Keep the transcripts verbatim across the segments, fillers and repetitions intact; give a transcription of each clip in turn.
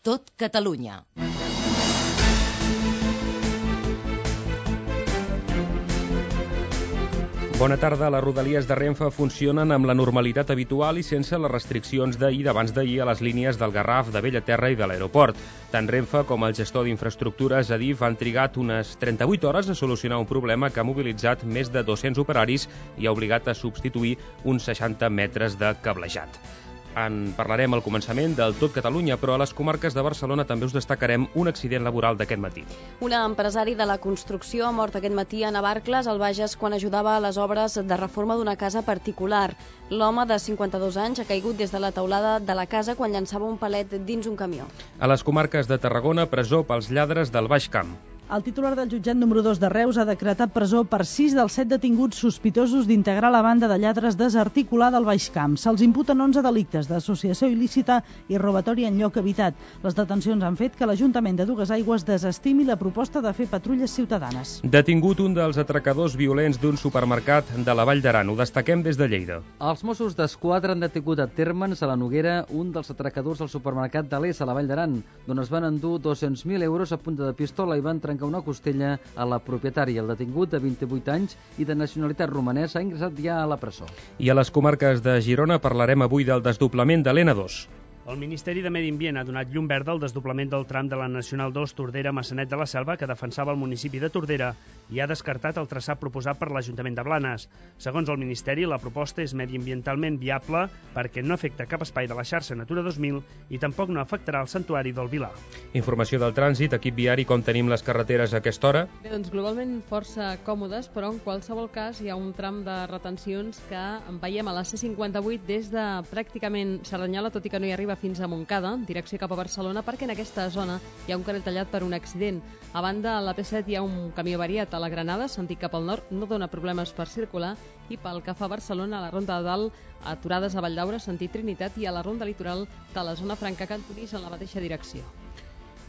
Tot Catalunya. Bona tarda. Les rodalies de Renfe funcionen amb la normalitat habitual i sense les restriccions d'ahir d'abans d'ahir a les línies del Garraf, de Bellaterra i de l'aeroport. Tant Renfe com el gestor d'infraestructures, Adif, han trigat unes trenta-vuit hores a solucionar un problema que ha mobilitzat més de dos-cents operaris i ha obligat a substituir uns seixanta metres de cablejat. En parlarem al començament del Tot Catalunya, però a les comarques de Barcelona també us destacarem un accident laboral d'aquest matí. Un empresari de la construcció ha mort aquest matí a Navarcles, al Bages, quan ajudava a les obres de reforma d'una casa particular. L'home de cinquanta-dos anys ha caigut des de la teulada de la casa quan llançava un palet dins un camió. A les comarques de Tarragona, presó pels lladres del Baix Camp. El titular del jutjat número dos de Reus ha decretat presó per sis dels set detinguts sospitosos d'integrar la banda de lladres desarticulada al Baix Camp. Se'ls imputen onze delictes d'associació il·lícita i robatori en lloc habitat. Les detencions han fet que l'Ajuntament de Duesaigües desestimi la proposta de fer patrulles ciutadanes. Detingut un dels atracadors violents d'un supermercat de la Vall d'Aran. Ho destaquem des de Lleida. Els Mossos d'Esquadra han detingut a Térmens, a la Noguera, un dels atracadors del supermercat de l'Es a la Vall d'Aran, d'on es van endur dos-cents mil euros a punta de pistola i van trencar una costella a la propietària. El detingut, de vint-i-vuit anys i de nacionalitat romanesa, ha ingressat ja a la presó. I a les comarques de Girona parlarem avui del desdoblament de l'E N dos. El Ministeri de Medi Ambient ha donat llum verda al desdoblament del tram de la Nacional dos Tordera-Maçanet de la Selva, que defensava el municipi de Tordera, i ha descartat el traçat proposat per l'Ajuntament de Blanes. Segons el Ministeri, la proposta és mediambientalment viable perquè no afecta cap espai de la xarxa Natura dos mil i tampoc no afectarà el santuari del Vilar. Informació del trànsit, equip viari, com tenim les carreteres a aquesta hora? Bé, doncs globalment força còmodes, però en qualsevol cas hi ha un tram de retencions que en veiem a la C cinquanta-vuit des de pràcticament Cerdanyola, tot i que no hi arriba fins a Montcada, en direcció cap a Barcelona, perquè en aquesta zona hi ha un carril tallat per un accident. A banda, a la P set hi ha un camí avariat a la Granada, sentit cap al nord, no dona problemes per circular, i pel que fa a Barcelona, a la Ronda de Dalt, aturades a Valldaura, sentit Trinitat, i a la Ronda Litoral de la zona franca Cantonís en la mateixa direcció.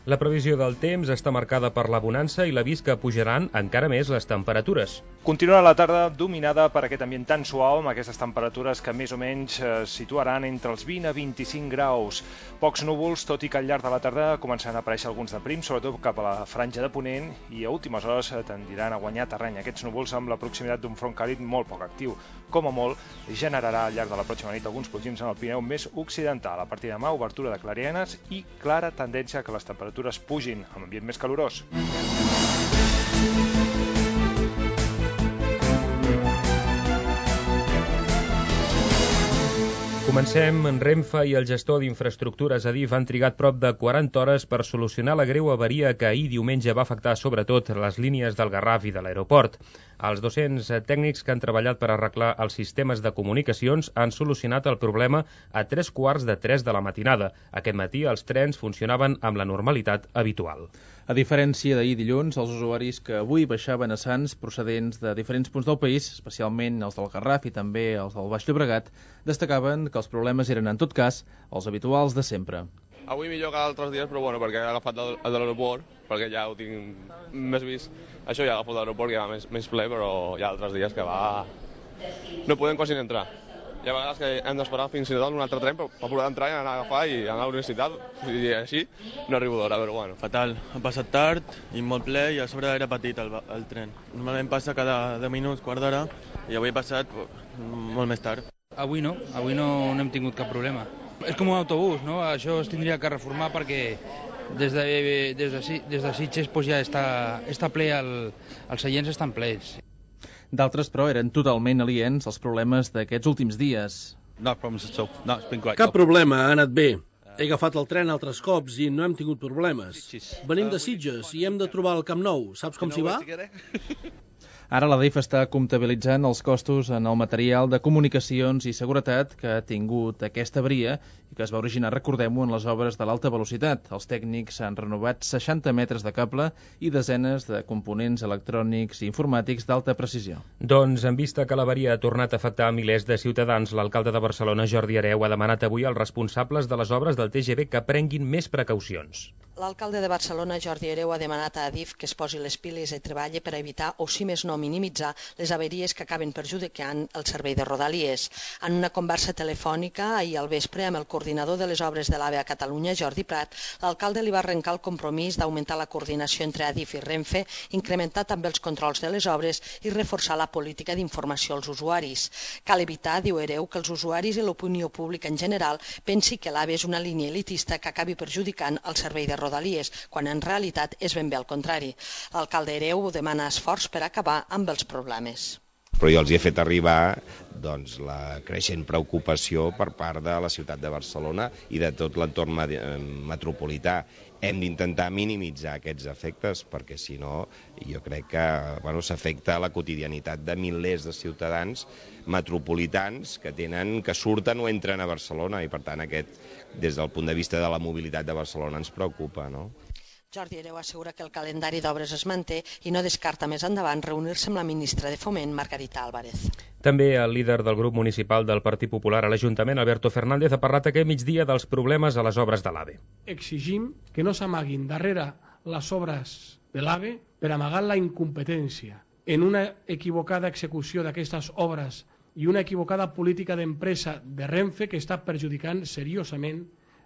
La previsió del temps està marcada per la bonança i l'avís que pujaran encara més les temperatures. Continuarà la tarda dominada per aquest ambient tan suau, amb aquestes temperatures que més o menys eh, situaran entre els vint a vint-i-cinc graus. Pocs núvols, tot i que al llarg de la tarda començaran a aparèixer alguns de prims, sobretot cap a la franja de Ponent, i a últimes hores tendiran a guanyar terreny aquests núvols amb la proximitat d'un front càlid molt poc actiu. Com a molt, generarà al llarg de la pròxima nit alguns plogins en el Pirineu més occidental. A partir de demà, obertura de clarianes i clara tendència que les temperatures pugin, amb ambient més calorós. Comencem. En Renfe i el gestor d'infraestructures Adif han trigat prop de quaranta hores per solucionar la greu avaria que ahir diumenge va afectar sobretot les línies del Garraf i de l'aeroport. Els dos-cents tècnics que han treballat per arreglar els sistemes de comunicacions han solucionat el problema a tres quarts de tres de la matinada. Aquest matí els trens funcionaven amb la normalitat habitual. A diferència d'ahir dilluns, els usuaris que avui baixaven a Sants procedents de diferents punts del país, especialment els del Garraf i també els del Baix Llobregat, destacaven que els problemes eren, en tot cas, els habituals de sempre. Avui millor que altres dies, però bueno, perquè he agafat el de l'aeroport, perquè ja ho tinc més vist. Això ja he agafat l'aeroport, que va més, més ple, però hi ha altres dies que va... no podem quasi entrar. Hi ha vegades que hem d'esperar fins i tot un altre tren per, per poder entrar i anar a agafar i anar a la universitat, i així no arribo d'hora, però bueno. Fatal, ha passat tard i molt ple i a sobre era petit el, el tren. Normalment passa cada deu minuts, quart d'hora, i avui ha passat molt més tard. Avui no, avui no, no hem tingut cap problema. És com un autobús, no? Això es tindria que reformar perquè des de, des de, des de Sitges pues ja està, està ple, el, els seients estan plens. D'altres, però, eren totalment aliens als problemes d'aquests últims dies. No problems at all. No, it's been great. Cap problema, ha anat bé. He agafat el tren altres cops i no hem tingut problemes. Venim de Sitges i hem de trobar el Camp Nou. Saps com s'hi va? Ara la Adif està comptabilitzant els costos en el material de comunicacions i seguretat que ha tingut aquesta avaria i que es va originar, recordem-ho, en les obres de l'alta velocitat. Els tècnics han renovat seixanta metres de cable i desenes de components electrònics i informàtics d'alta precisió. Doncs, en vista que l'avaria ha tornat a afectar milers de ciutadans, l'alcalde de Barcelona, Jordi Hereu, ha demanat avui als responsables de les obres del T G V que prenguin més precaucions. L'alcalde de Barcelona, Jordi Hereu, ha demanat a Adif que es posi les piles i treballi per evitar, o si més no minimitzar, les averies que acaben perjudicant el servei de Rodalies. En una conversa telefònica ahir al vespre amb el coordinador de les obres de l'AVE a Catalunya, Jordi Prat, l'alcalde li va arrencar el compromís d'augmentar la coordinació entre Adif i Renfe, incrementar també els controls de les obres i reforçar la política d'informació als usuaris. Cal evitar, diu Hereu, que els usuaris i l'opinió pública en general pensi que l'AVE és una línia elitista que acabi perjudicant el servei de Rodalies, quan en realitat és ben bé al contrari. L'alcalde Hereu demana esforç per acabar amb els problemes. Però jo els he fet arribar doncs, la creixent preocupació per part de la ciutat de Barcelona i de tot l'entorn metropolità. Hem d'intentar minimitzar aquests efectes perquè si no jo crec que bueno, s'afecta la quotidianitat de milers de ciutadans metropolitans que tenen que surten o entren a Barcelona i per tant aquest des del punt de vista de la mobilitat de Barcelona ens preocupa, no? Jordi Hereu assegura que el calendari d'obres es manté i no descarta més endavant reunir-se amb la ministra de Foment, Margarita Álvarez. També el líder del grup municipal del Partit Popular a l'Ajuntament, Alberto Fernández, ha parlat aquest migdia dels problemes a les obres de l'AVE. Exigim que no s'amaguin darrere les obres de l'AVE per amagar la incompetència en una equivocada execució d'aquestes obres i una equivocada política d'empresa de Renfe que està perjudicant seriosament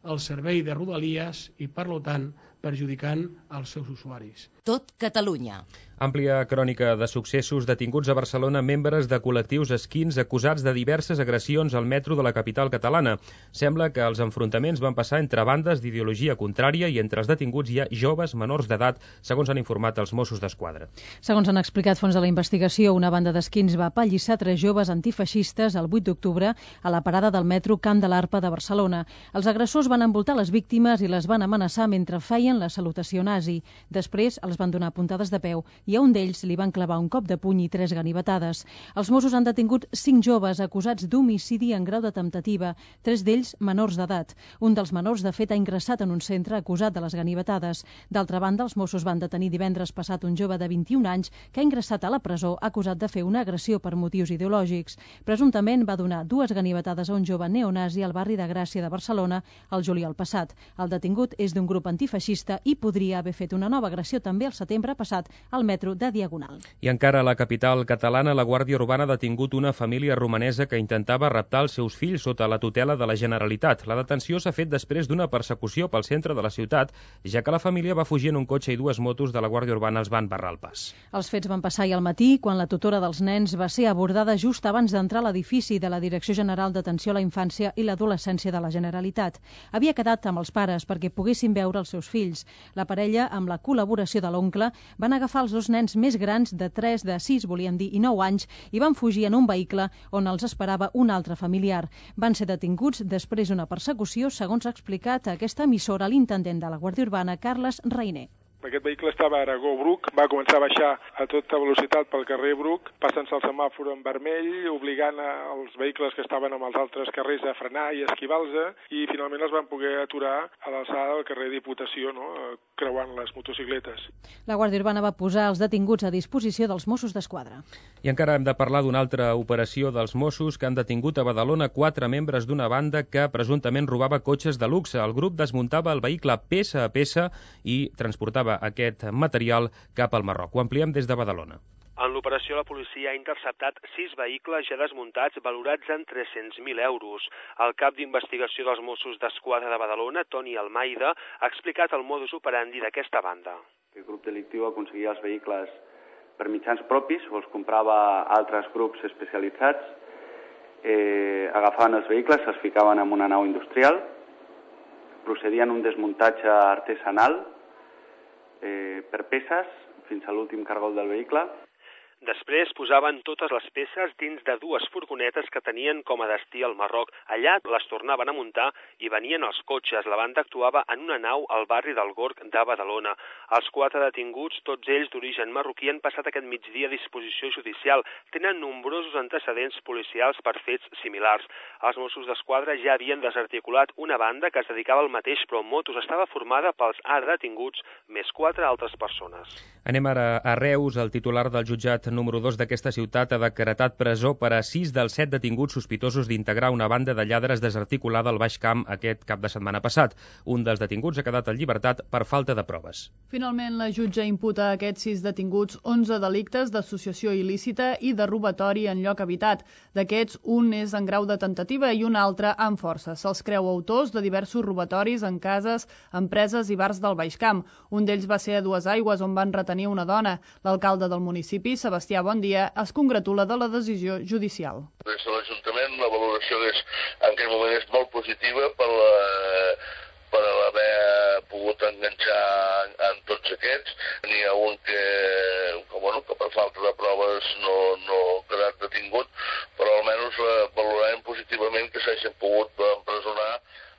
el servei de Rodalies i, per tant, perjudicant els seus usuaris. Tot Catalunya. Àmplia crònica de successos detinguts a Barcelona membres de col·lectius esquins acusats de diverses agressions al metro de la capital catalana. Sembla que els enfrontaments van passar entre bandes d'ideologia contrària i entre els detinguts hi ha joves menors d'edat, segons han informat els Mossos d'Esquadra. Segons han explicat fons de la investigació, una banda d'esquins va apallissar tres joves antifeixistes el vuit d'octubre a la parada del metro Camp de l'Arpa de Barcelona. Els agressors van envoltar les víctimes i les van amenaçar mentre feien la salutació nazi. Després els van donar puntades de peu i a un d'ells li van clavar un cop de puny i tres ganivetades. Els Mossos han detingut cinc joves acusats d'homicidi en grau de temptativa, tres d'ells menors d'edat. Un dels menors, de fet, ha ingressat en un centre acusat de les ganivetades. D'altra banda, els Mossos van detenir divendres passat un jove de vint-i-un anys que ha ingressat a la presó acusat de fer una agressió per motius ideològics. Presumptament va donar dues ganivetades a un jove neonazi al barri de Gràcia de Barcelona el juliol passat. El detingut és d'un grup antifeixista i podria haver fet una nova agressió també el setembre passat al metro de Diagonal. I encara a la capital catalana, la Guàrdia Urbana ha detingut una família romanesa que intentava raptar els seus fills sota la tutela de la Generalitat. La detenció s'ha fet després d'una persecució pel centre de la ciutat, ja que la família va fugir en un cotxe i dues motos de la Guàrdia Urbana els van barrar el pas. Els fets van passar ahir al matí, quan la tutora dels nens va ser abordada just abans d'entrar a l'edifici de la Direcció General d'Atenció a la Infància i l'Adolescència de la Generalitat. Havia quedat amb els pares perquè poguessin veure els seus fills. La parella, amb la col·laboració de l'oncle, van agafar els dos nens més grans de tres, de sis, volien dir, i nou anys, i van fugir en un vehicle on els esperava un altre familiar. Van ser detinguts després d'una persecució, segons ha explicat a aquesta emissora l'intendent de la Guàrdia Urbana, Carles Reiner. Aquest vehicle estava a Aragó-Bruc, va començar a baixar a tota velocitat pel carrer Bruc, passant-se el semàfor en vermell, obligant els vehicles que estaven amb els altres carrers a frenar i esquivar-los, i finalment els van poder aturar a l'alçada del carrer Diputació, no? Creuant les motocicletes. La Guàrdia Urbana va posar els detinguts a disposició dels Mossos d'Esquadra. I encara hem de parlar d'una altra operació dels Mossos que han detingut a Badalona quatre membres d'una banda que presumptament robava cotxes de luxe. El grup desmuntava el vehicle peça a peça i transportava aquest material cap al Marroc. Ho ampliem des de Badalona. En l'operació, la policia ha interceptat sis vehicles ja desmuntats valorats en tres-cents mil euros. El cap d'investigació dels Mossos d'Esquadra de Badalona, Toni Almeida, ha explicat el modus operandi d'aquesta banda. El grup delictiu aconseguia els vehicles per mitjans propis o els comprava altres grups especialitzats, eh, agafaven els vehicles, se'ls ficaven en una nau industrial, procedien un desmuntatge artesanal eh, per peces fins a l'últim cargol del vehicle. Després posaven totes les peces dins de dues furgonetes que tenien com a destí al Marroc. Allà les tornaven a muntar i venien els cotxes. La banda actuava en una nau al barri del Gorg de Badalona. Els quatre detinguts, tots ells d'origen marroquí, han passat aquest migdia a disposició judicial. Tenen nombrosos antecedents policials per fets similars. Els Mossos d'Esquadra ja havien desarticulat una banda que es dedicava al mateix, però motos estava formada pels ara detinguts més quatre altres persones. Anem ara a Reus. El titular del jutjat número dos d'aquesta ciutat ha decretat presó per a sis dels set detinguts sospitosos d'integrar una banda de lladres desarticulada al Baix Camp aquest cap de setmana passat. Un dels detinguts ha quedat en llibertat per falta de proves. Finalment, la jutge imputa a aquests sis detinguts onze delictes d'associació il·lícita i de robatori en lloc habitat. D'aquests, un és en grau de temptativa i un altre amb força. Se'ls creu autors de diversos robatoris en cases, empreses i bars del Baix Camp. Un d'ells va ser a Dues Aigües, on van retenir una dona. L'alcalde del municipi, Sebastià Bondia, es congratula de la decisió judicial. Des de l'Ajuntament la valoració és, en aquest moment és molt positiva per la, per haver pogut enganxar en tots aquests. N'hi ha un que, que, bueno, que per falta de proves no, no ha quedat detingut, però almenys valorarem positivament que s'hagin pogut empresonar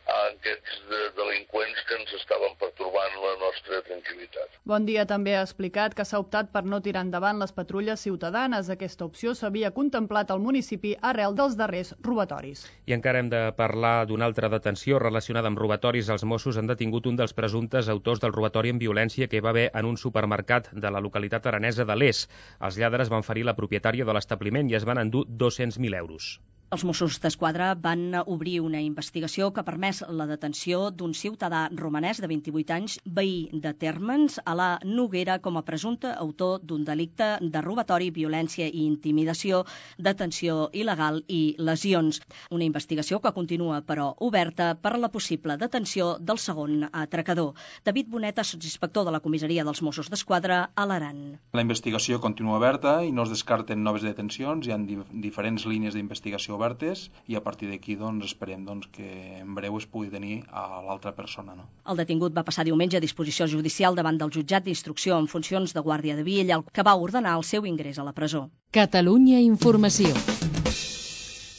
aquests delinqüents que ens estaven pertorbant la nostra tranquil·litat. Bon dia també ha explicat que s'ha optat per no tirar endavant les patrulles ciutadanes. Aquesta opció s'havia contemplat al municipi arrel dels darrers robatoris. I encara hem de parlar d'una altra detenció relacionada amb robatoris. Els Mossos han detingut un dels presumptes autors del robatori amb violència que hi va haver en un supermercat de la localitat aranesa de l'Es. Els lladres van ferir la propietària de l'establiment i es van endur dos-cents mil euros. Els Mossos d'Esquadra van obrir una investigació que ha permès la detenció d'un ciutadà romanès de vint-i-vuit anys, veí de Térmens, a la Noguera, com a presumpte autor d'un delicte de robatori, violència i intimidació, detenció il·legal i lesions. Una investigació que continua, però, oberta per la possible detenció del segon atracador. David Boneta, sotsinspector de la comissaria dels Mossos d'Esquadra a l'Aran. La investigació continua oberta i no es descarten noves detencions. Hi ha diferents línies d'investigació obertes i a partir d'aquí doncs, esperem doncs, que en breu es pugui tenir a l'altra persona. No? El detingut va passar diumenge a disposició judicial davant del jutjat d'instrucció en funcions de Guàrdia de Vielha, que va ordenar el seu ingrés a la presó. Catalunya Informació.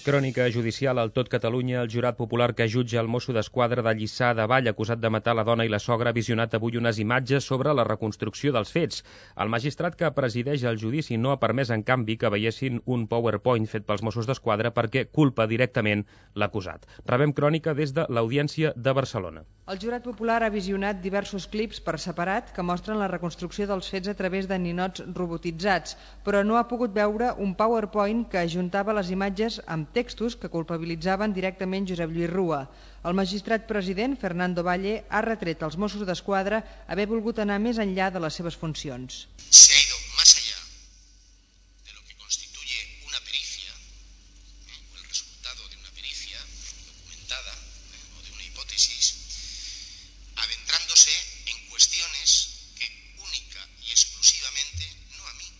Crònica judicial al tot Catalunya. El jurat popular que jutja el mosso d'Esquadra de Lliçà de Vall, acusat de matar la dona i la sogra, ha visionat avui unes imatges sobre la reconstrucció dels fets. El magistrat que presideix el judici no ha permès, en canvi, que veiessin un PowerPoint fet pels Mossos d'Esquadra perquè culpa directament l'acusat. Rebem crònica des de l'Audiència de Barcelona. El jurat popular ha visionat diversos clips per separat que mostren la reconstrucció dels fets a través de ninots robotitzats, però no ha pogut veure un PowerPoint que ajuntava les imatges amb textos que culpabilitzaven directament Josep Lluís Rua. El magistrat president, Fernando Valle, ha retret als Mossos d'Esquadra haver volgut anar més enllà de les seves funcions. Se ha ido más allá de lo que constituye una pericia, o el resultado de una pericia documentada o de una hipótesis, adentrándose en cuestiones que única y exclusivamente, no a mí,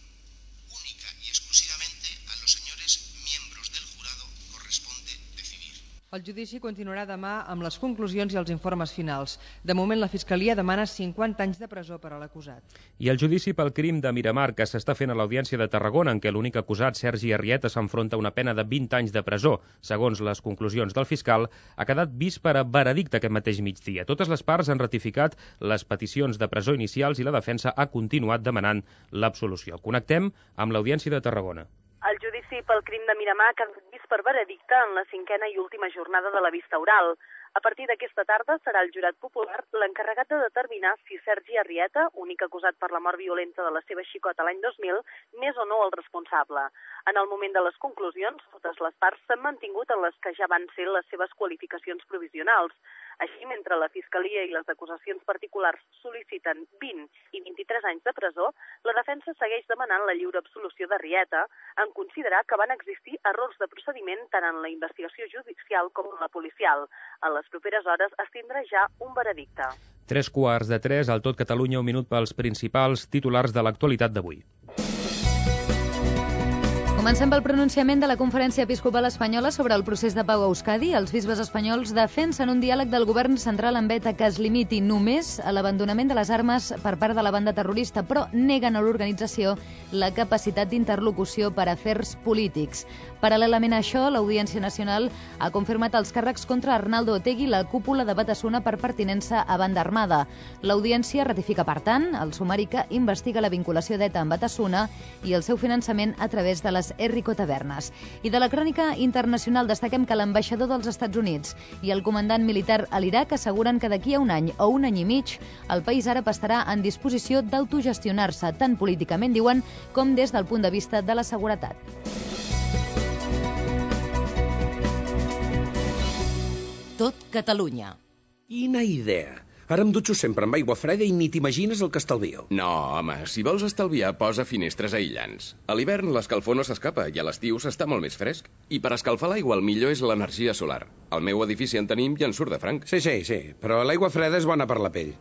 única y exclusivamente a los señores miembros del jurado corresponde decidir. El judici continuarà demà amb les conclusions i els informes finals. De moment, la Fiscalia demana cinquanta anys de presó per a l'acusat. I el judici pel crim de Miramar, que s'està fent a l'Audiència de Tarragona, en què l'únic acusat, Sergi Arrieta, s'enfronta a una pena de vint anys de presó, segons les conclusions del fiscal, ha quedat vist per a veredicte aquest mateix migdia. Totes les parts han ratificat les peticions de presó inicials i la defensa ha continuat demanant l'absolució. Connectem amb l'Audiència de Tarragona. El judici pel crim de Miramar ha quedat vist per veredicte en la cinquena i última jornada de la vista oral. A partir d'aquesta tarda serà el jurat popular l'encarregat de determinar si Sergi Arrieta, únic acusat per la mort violenta de la seva xicota l'any dos mil, n'és o no el responsable. En el moment de les conclusions, totes les parts s'han mantingut en les que ja van ser les seves qualificacions provisionals. Així, mentre la Fiscalia i les acusacions particulars sol·liciten vint i vint-i-tres anys de presó, la defensa segueix demanant la lliure absolució d'Arrieta en considerar que van existir errors de procediment tant en la investigació judicial com en la policial. A les properes hores es tindrà ja un veredicte. Tres quarts de tres, al tot Catalunya, un minut pels principals titulars de l'actualitat d'avui. Comencem pel pronunciament de la Conferència Episcopal Espanyola sobre el procés de pau a Euskadi. Els bisbes espanyols defensen un diàleg del govern central amb ETA que es limiti només a l'abandonament de les armes per part de la banda terrorista, però neguen a l'organització la capacitat d'interlocució per a afers polítics. Paral·lelament a això, l'Audiència Nacional ha confirmat els càrrecs contra Arnaldo Otegi i la cúpula de Batasuna per pertinença a banda armada. L'Audiència ratifica, per tant, el sumari que investiga la vinculació d'ETA amb Batasuna i el seu finançament a través de les Terres, Enrico Tavernas. I de la crònica internacional destaquem que l'ambaixador dels Estats Units i el comandant militar a l'Iraq asseguren que d'aquí a un any o un any i mig el país àrab estarà en disposició d'autogestionar-se, tant políticament, diuen, com des del punt de vista de la seguretat. Tot Catalunya. Quina idea! Ara em dutxo sempre amb aigua freda i ni t'imagines el que estalvio. No, home, si vols estalviar, posa finestres aïllants. A l'hivern l'escalfor no s'escapa i a l'estiu s'està molt més fresc. I per escalfar l'aigua el millor és l'energia solar. Al meu edifici en tenim i en surt de franc. Sí, sí, sí, però l'aigua freda és bona per la pell.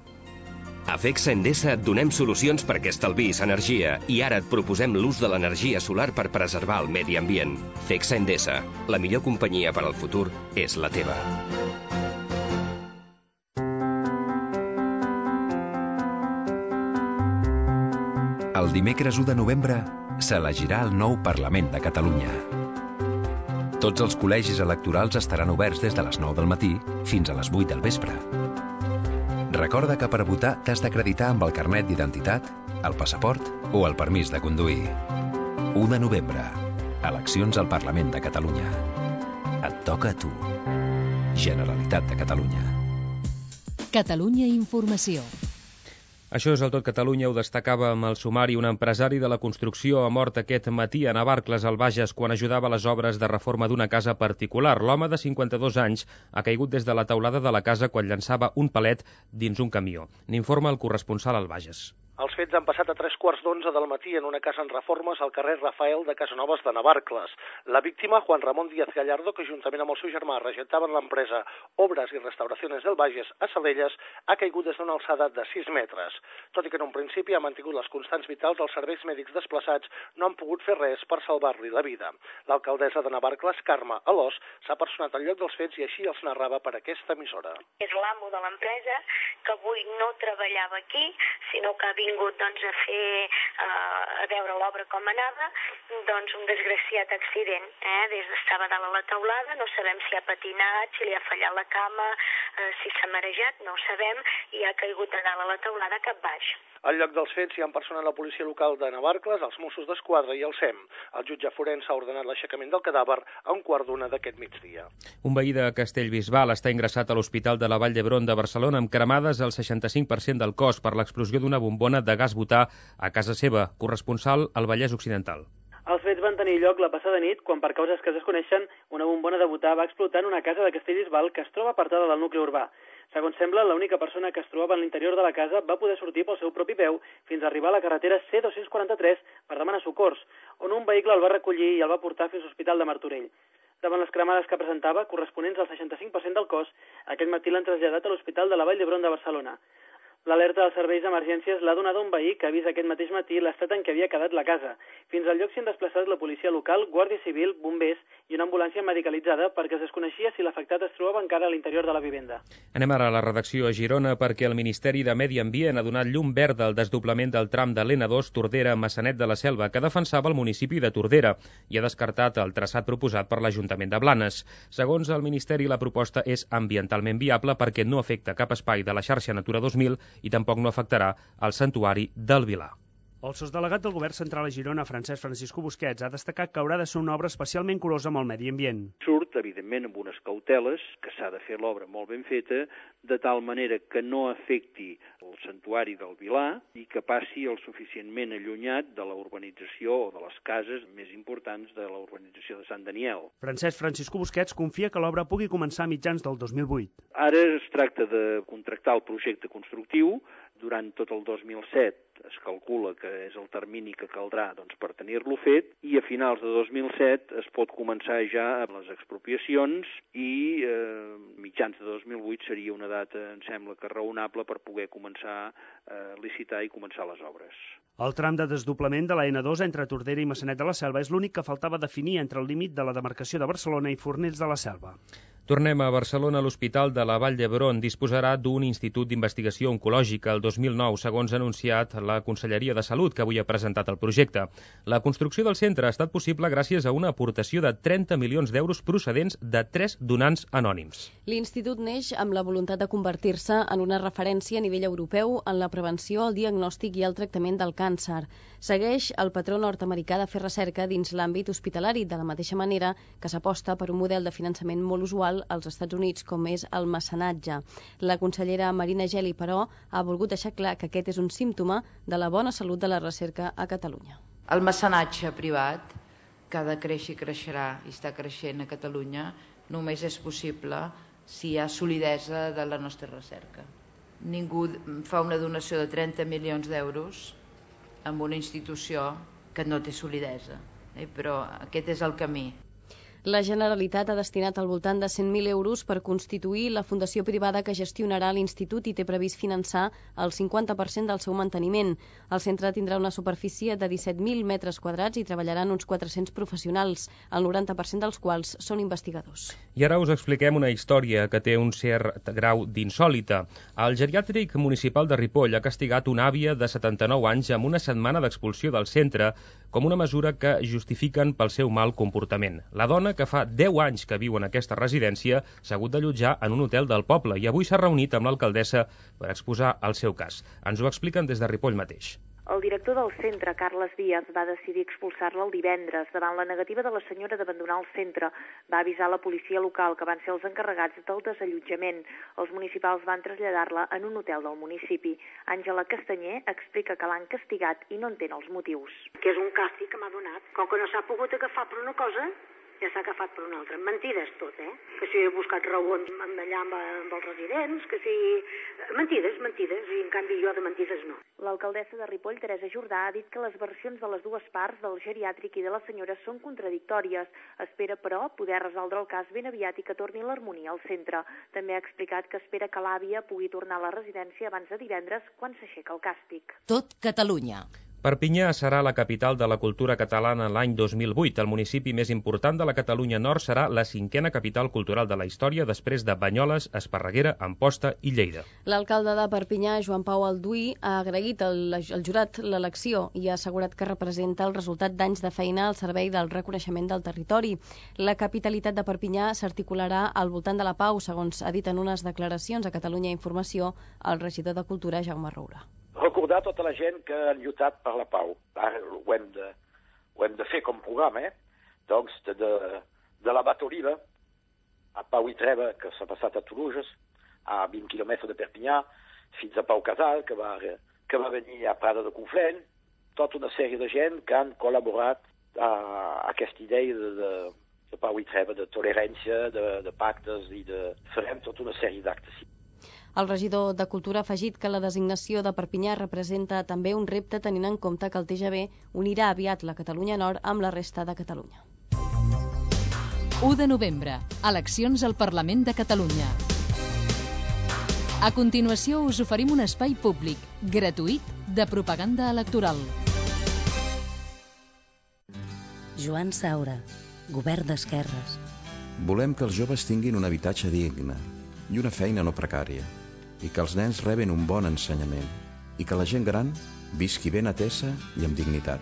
A Fexa Endesa et donem solucions perquè estalvis energia i ara et proposem l'ús de l'energia solar per preservar el medi ambient. Fexa Endesa, la millor companyia per al futur és la teva. El dimecres u de novembre s'elegirà el nou Parlament de Catalunya. Tots els col·legis electorals estaran oberts des de les nou del matí fins a les vuit del vespre. Recorda que per votar t'has d'acreditar amb el carnet d'identitat, el passaport o el permís de conduir. u de novembre. Eleccions al Parlament de Catalunya. Et toca a tu. Generalitat de Catalunya. Catalunya Informació. Això és el Tot Catalunya, ho destacava amb el sumari. Un empresari de la construcció ha mort aquest matí a Navarcles, al Bages, quan ajudava a les obres de reforma d'una casa particular. L'home de cinquanta-dos anys ha caigut des de la teulada de la casa quan llançava un palet dins un camió. N'informa el corresponsal al Bages. Els fets han passat a tres quarts d'onze del matí en una casa en reformes al carrer Rafael de Casanovas de Navarcles. La víctima, Juan Ramón Díaz Gallardo, que juntament amb el seu germà regentaven l'empresa Obras i Restauraciones del Bages a Salelles, ha caigut des d'una alçada de sis metres. Tot i que en un principi ha mantingut les constants vitals, els serveis mèdics desplaçats no han pogut fer res per salvar-li la vida. L'alcaldessa de Navarcles, Carme Alòs, s'ha personat al lloc dels fets i així els narrava per aquesta emissora. És l'amo de l'empresa que avui no treballava aquí, sinó que ha vingut doncs, a fer, uh, a veure l'obra com anava, doncs un desgraciat accident. Eh? Des d'estava dalt a la teulada, no sabem si ha patinat, si li ha fallat la cama, uh, si s'ha marejat, no ho sabem, i ha caigut de dalt a la teulada cap baix. Al lloc dels fets hi han personat la policia local de Navarcles, els Mossos d'Esquadra i el S E M. El jutge forense ha ordenat l'aixecament del cadàver a un quart d'una d'aquest migdia. Un veí de Castellbisbal està ingressat a l'Hospital de la Vall d'Hebron de Barcelona amb cremades al seixanta-cinc per cent del cos per l'explosió d'una bombona de gas butà a casa seva. Corresponsal al Vallès Occidental. Els fets van tenir lloc la passada nit quan, per causes que es desconeixen, una bombona de butà va explotar en una casa de Castellbisbal que es troba apartada del nucli urbà. Segons sembla, l'única persona que es trobava en l'interior de la casa va poder sortir pel seu propi peu fins a arribar a la carretera C dos quaranta-tres per demanar socors, on un vehicle el va recollir i el va portar fins a l'Hospital de Martorell. Davant les cremades que presentava, corresponents al seixanta-cinc per cent del cos, aquest matí l'han traslladat a l'Hospital de la Vall d'Hebron de Barcelona. L'alerta dels serveis d'emergències l'ha donat un veí que ha vist aquest mateix matí l'estat en què havia quedat la casa. Fins al lloc s'hi han desplaçat la policia local, Guàrdia Civil, bombers i una ambulància medicalitzada perquè es desconeixia si l'afectat es trobava encara a l'interior de la vivenda. Anem ara a la redacció a Girona perquè el Ministeri de Medi Ambient ha donat llum verda al desdoblament del tram de l'N dos Tordera-Massanet de la Selva, que defensava el municipi de Tordera i ha descartat el traçat proposat per l'Ajuntament de Blanes. Segons el Ministeri, la proposta és ambientalment viable perquè no afecta cap espai de la xarxa Natura dos mil i tampoc no afectarà el santuari del Vilar. El sosdelegat del Govern Central a Girona, Francesc Francisco Busquets, ha destacat que haurà de ser una obra especialment curosa amb el medi ambient. Surt, evidentment, amb unes cauteles, que s'ha de fer l'obra molt ben feta, de tal manera que no afecti el santuari del Vilar i que passi el suficientment allunyat de la urbanització o de les cases més importants de la urbanització de Sant Daniel. Francesc Francisco Busquets confia que l'obra pugui començar a mitjans del dos mil vuit. Ara es tracta de contractar el projecte constructiu. Durant tot el dos mil set es calcula que és el termini que caldrà doncs, per tenir-lo fet i a finals de dos mil set es pot començar ja amb les expropiacions i eh, mitjans de dos mil vuit seria una data, em sembla que raonable per poder començar a licitar i començar les obres. El tram de desdoblament de la N dos entre Tordera i Massanet de la Selva és l'únic que faltava definir entre el límit de la demarcació de Barcelona i Fornells de la Selva. Tornem a Barcelona. L'Hospital de la Vall d'Hebron disposarà d'un institut d'investigació oncològica. El dos mil nou, segons ha anunciat la Conselleria de Salut, que avui ha presentat el projecte. La construcció del centre ha estat possible gràcies a una aportació de trenta milions d'euros procedents de tres donants anònims. L'Institut neix amb la voluntat de convertir-se en una referència a nivell europeu en la prevenció, el diagnòstic i el tractament del càncer. Segueix el patró nord-americà de fer recerca dins l'àmbit hospitalari, de la mateixa manera que s'aposta per un model de finançament molt usual als Estats Units, com és el mecenatge. La consellera Marina Geli, però, ha volgut deixar clar que aquest és un símptoma de la bona salut de la recerca a Catalunya. El mecenatge privat, que ha de créixer i creixerà i està creixent a Catalunya, només és possible si hi ha solidesa de la nostra recerca. Ningú fa una donació de trenta milions d'euros amb una institució que no té solidesa, eh? Però aquest és el camí. La Generalitat ha destinat al voltant de cent mil euros per constituir la fundació privada que gestionarà l'Institut i té previst finançar el cinquanta per cent del seu manteniment. El centre tindrà una superfície de disset mil metres quadrats i treballaran uns quatre-cents professionals, el noranta per cent dels quals són investigadors. I ara us expliquem una història que té un cert grau d'insòlita. El geriàtric municipal de Ripoll ha castigat una àvia de setanta-nou anys amb una setmana d'expulsió del centre com una mesura que justifiquen pel seu mal comportament. La dona, que fa deu anys que viu en aquesta residència, s'ha hagut d'allotjar en un hotel del poble i avui s'ha reunit amb l'alcaldessa per exposar el seu cas. Ens ho expliquen des de Ripoll mateix. El director del centre, Carles Díaz, va decidir expulsar-la el divendres. Davant la negativa de la senyora d'abandonar el centre, va avisar la policia local, que van ser els encarregats del desallotjament. Els municipals van traslladar-la en un hotel del municipi. Àngela Castanyer explica que l'han castigat i no entén els motius. Que és un càstig que m'ha donat. Com que no s'ha pogut agafar per una cosa, ja s'ha agafat per una altra. Mentides tot, eh? Que si he buscat raons allà amb, amb els residents, que si... Mentides, mentides, i en canvi jo de mentides no. L'alcaldessa de Ripoll, Teresa Jordà, ha dit que les versions de les dues parts, del geriàtric i de la senyora, són contradictòries. Espera, però, poder resoldre el cas ben aviat i que torni l'harmonia al centre. També ha explicat que espera que l'àvia pugui tornar a la residència abans de divendres, quan s'aixeca el càstig. Tot Catalunya. Perpinyà serà la capital de la cultura catalana l'any dos mil vuit. El municipi més important de la Catalunya Nord serà la cinquena capital cultural de la història, després de Banyoles, Esparreguera, Amposta i Lleida. L'alcalde de Perpinyà, Joan Pau Alduí, ha agraït al, al jurat l'elecció i ha assegurat que representa el resultat d'anys de feina al servei del reconeixement del territori. La capitalitat de Perpinyà s'articularà al voltant de la pau, segons ha dit en unes declaracions a Catalunya Informació el regidor de Cultura, Jaume Roura. Recordar tota la gent que han lluitat per la pau. Ara ho hem de, ho hem de fer com programa, eh? Doncs de, de, de la Bat Oliva a Pau i Treva, que s'ha passat a Toulouse, a vint quilòmetres de Perpinyà, fins a Pau Casal, que va, que va venir a Prada de Conflent, tota una sèrie de gent que han col·laborat a, a aquesta idea de, de, de Pau i Treva, de tolerància, de, de pactes, i de farem tota una sèrie d'actes. El regidor de Cultura ha afegit que la designació de Perpinyà representa també un repte, tenint en compte que el T G V unirà aviat la Catalunya Nord amb la resta de Catalunya. u de novembre. Eleccions al Parlament de Catalunya. A continuació us oferim un espai públic, gratuït, de propaganda electoral. Joan Saura, Govern d'Esquerres. Volem que els joves tinguin un habitatge digne i una feina no precària, i que els nens reben un bon ensenyament, i que la gent gran visqui ben atesa i amb dignitat,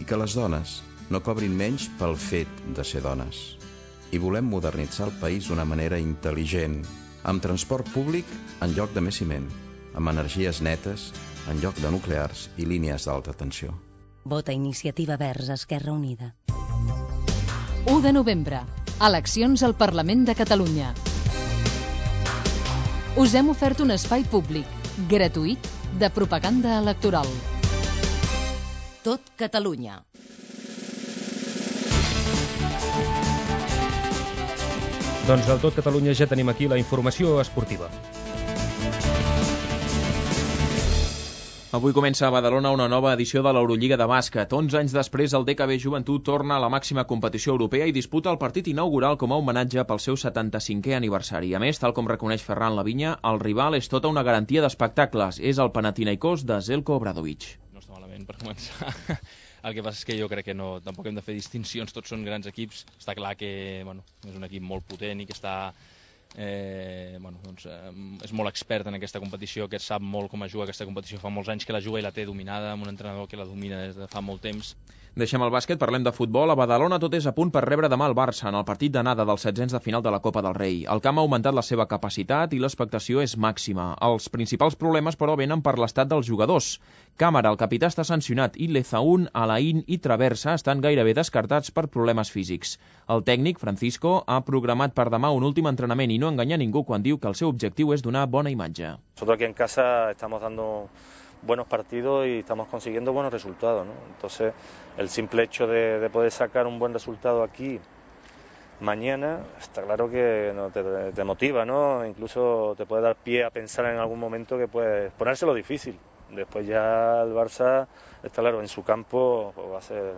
i que les dones no cobrin menys pel fet de ser dones. I volem modernitzar el país d'una manera intel·ligent, amb transport públic en lloc de més ciment, amb energies netes en lloc de nuclears i línies d'alta tensió. Vota Iniciativa Verds Esquerra Unida. u de novembre. Eleccions al Parlament de Catalunya. Us hem ofert un espai públic, gratuït, de propaganda electoral. Tot Catalunya. Doncs del Tot Catalunya ja tenim aquí la informació esportiva. Avui comença a Badalona una nova edició de l'Eurolliga de bàsquet. onze anys després, el D K B Joventut torna a la màxima competició europea i disputa el partit inaugural com a homenatge pel seu setanta-cinquè aniversari. A més, tal com reconeix Ferran Lavinya, el rival és tota una garantia d'espectacles. És el Panathinaikos de Željko Obradović. No està malament per començar. El que passa és que jo crec que no, tampoc hem de fer distincions, tots són grans equips. Està clar que bueno, és un equip molt potent i que està eh, bueno, doncs, eh, és molt expert en aquesta competició, que sap molt com es juga aquesta competició, fa molts anys que la juga i la té dominada, amb un entrenador que la domina des de fa molt temps. Deixem el bàsquet, parlem de futbol. A Badalona tot és a punt per rebre demà el Barça en el partit d'anada dels setzents de final de la Copa del Rei. El camp ha augmentat la seva capacitat i l'expectació és màxima. Els principals problemes, però, venen per l'estat dels jugadors. Càmara, el capità, està sancionat i Lezaún, Alain i Traversa estan gairebé descartats per problemes físics. El tècnic, Francisco, ha programat per demà un últim entrenament i no enganya ningú quan diu que el seu objectiu és donar bona imatge. Nosotros aquí en casa estamos dando buenos partidos y estamos consiguiendo buenos resultados, ¿no? Entonces, el simple hecho de, de poder sacar un buen resultado aquí mañana, está claro que no, te, te motiva, ¿no? Incluso te puede dar pie a pensar en algún momento que puedes ponérselo difícil. Después ya el Barça, está claro, en su campo pues va a ser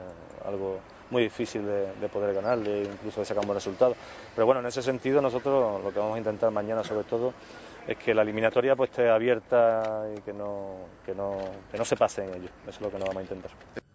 algo muy difícil de, de poder ganarle, incluso de sacar un buen resultado. Pero bueno, en ese sentido nosotros lo que vamos a intentar mañana sobre todo es que la eliminatoria pues esté abierta y que no, que no, que no se pase en ello. Eso es lo que nos vamos a intentar.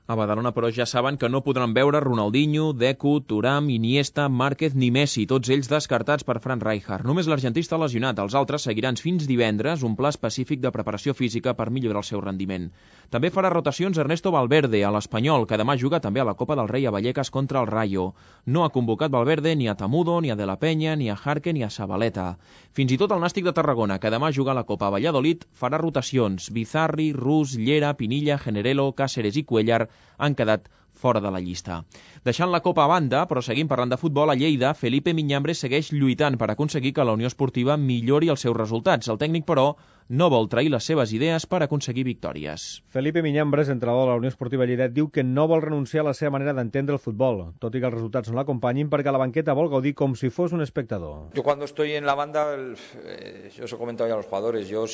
A Badalona, però, ja saben que no podran veure Ronaldinho, Deco, Thuram, Iniesta, Márquez ni Messi, tots ells descartats per Frank Rijkaard. Només l'argentí està lesionat, els altres seguiran fins divendres un pla específic de preparació física per millorar el seu rendiment. També farà rotacions Ernesto Valverde, a l'Espanyol, que demà juga també a la Copa del Rei a Vallecas contra el Rayo. No ha convocat Valverde ni a Tamudo, ni a De la Peña, ni a Jarque, ni a Zabaleta. Fins i tot el Nàstic de Tarragona, que demà juga a la Copa a Valladolid, farà rotacions. Bizarri, Rus, Llera, Pinilla, Generelo, Cáceres i Cuellar han quedat fora de la llista. Deixant la Copa a banda, però seguim parlant de futbol, a Lleida, Felipe Miñambres segueix lluitant per aconseguir que la Unió Esportiva millori els seus resultats. El tècnic, però, no vol trair les seves idees per aconseguir victòries. Felipe Miñambres, entrenador de la Unió Esportiva Lleida, diu que no vol renunciar a la seva manera d'entendre el futbol, tot i que els resultats no l'acompanyin, perquè la banqueta vol gaudir com si fos un espectador. Yo cuando estoy en la banda, el, eh, yo os he comentado ya a los jugadores, yo,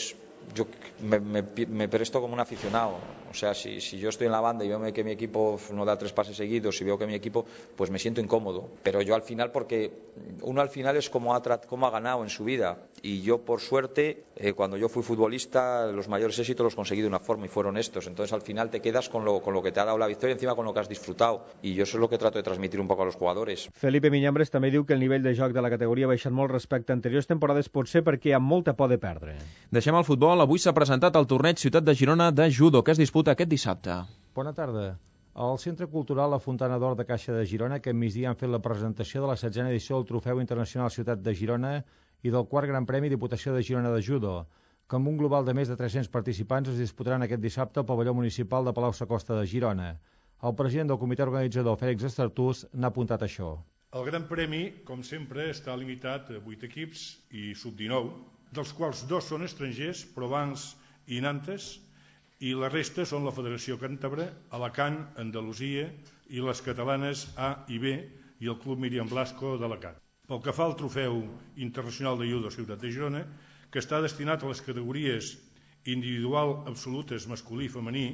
yo me, me, me presto como un aficionado. O sea, si, si yo estoy en la banda y veo que mi equipo no da tres pases seguidos, y veo que mi equipo, pues me siento incómodo. Pero yo al final, porque uno al final es como ha, como ha ganado en su vida. Y yo, por suerte, eh, cuando yo fui futbolista, los mayores éxitos los conseguí de una forma y fueron estos. Entonces al final te quedas con lo, con lo que te ha dado la victoria, encima con lo que has disfrutado. Y yo eso es lo que trato de transmitir un poco a los jugadores. Felipe Miñambres també diu que el nivell de joc de la categoria ha baixat molt respecte a anteriors temporades, potser perquè hi ha molta por de perdre. Deixem el futbol. Avui s'ha presentat el torneig Ciutat de Girona de judo, que es disputa aquest dissabte. Bona tarda. Al Centre Cultural La Fontana d'Or de Caixa de Girona, aquest migdia han fet la presentació de la setzena edició del Trofeu Internacional Ciutat de Girona i del quart Gran Premi Diputació de Girona de Judo, que amb un global de més de tres-cents participants es disputaran aquest dissabte al pavelló municipal de Palau-Sacosta de Girona. El president del comitè organitzador, Fèlix Estartús, n'ha apuntat això. El Gran Premi, com sempre, està limitat a vuit equips i sub dinou, dels quals dos són estrangers, Provence i Nantes, i la resta són la Federació Càntabra, Alacant, Andalusia i les catalanes A i B i el Club Míriam Blasco d'Alacant. Pel que fa al Trofeu Internacional de Judo Ciutat de Girona, que està destinat a les categories individual absolutes masculí i femení,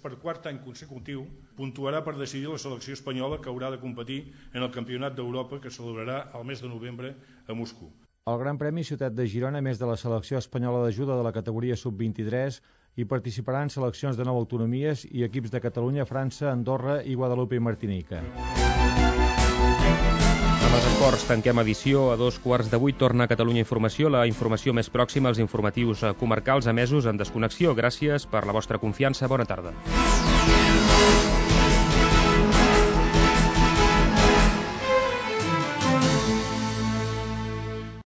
per quart any consecutiu puntuarà per decidir la selecció espanyola que haurà de competir en el Campionat d'Europa que celebrarà el mes de novembre a Moscou. Al Gran Premi Ciutat de Girona, a més de la selecció espanyola de judo de la categoria sub vint-i-tres, hi participaran seleccions de nou autonomies i equips de Catalunya, França, Andorra i Guadalupe i Martinica. Amb els esports tanquem edició. A dos quarts de vuit torna a Catalunya Informació, la informació més pròxima als informatius comarcals emesos en desconnexió. Gràcies per la vostra confiança. Bona tarda.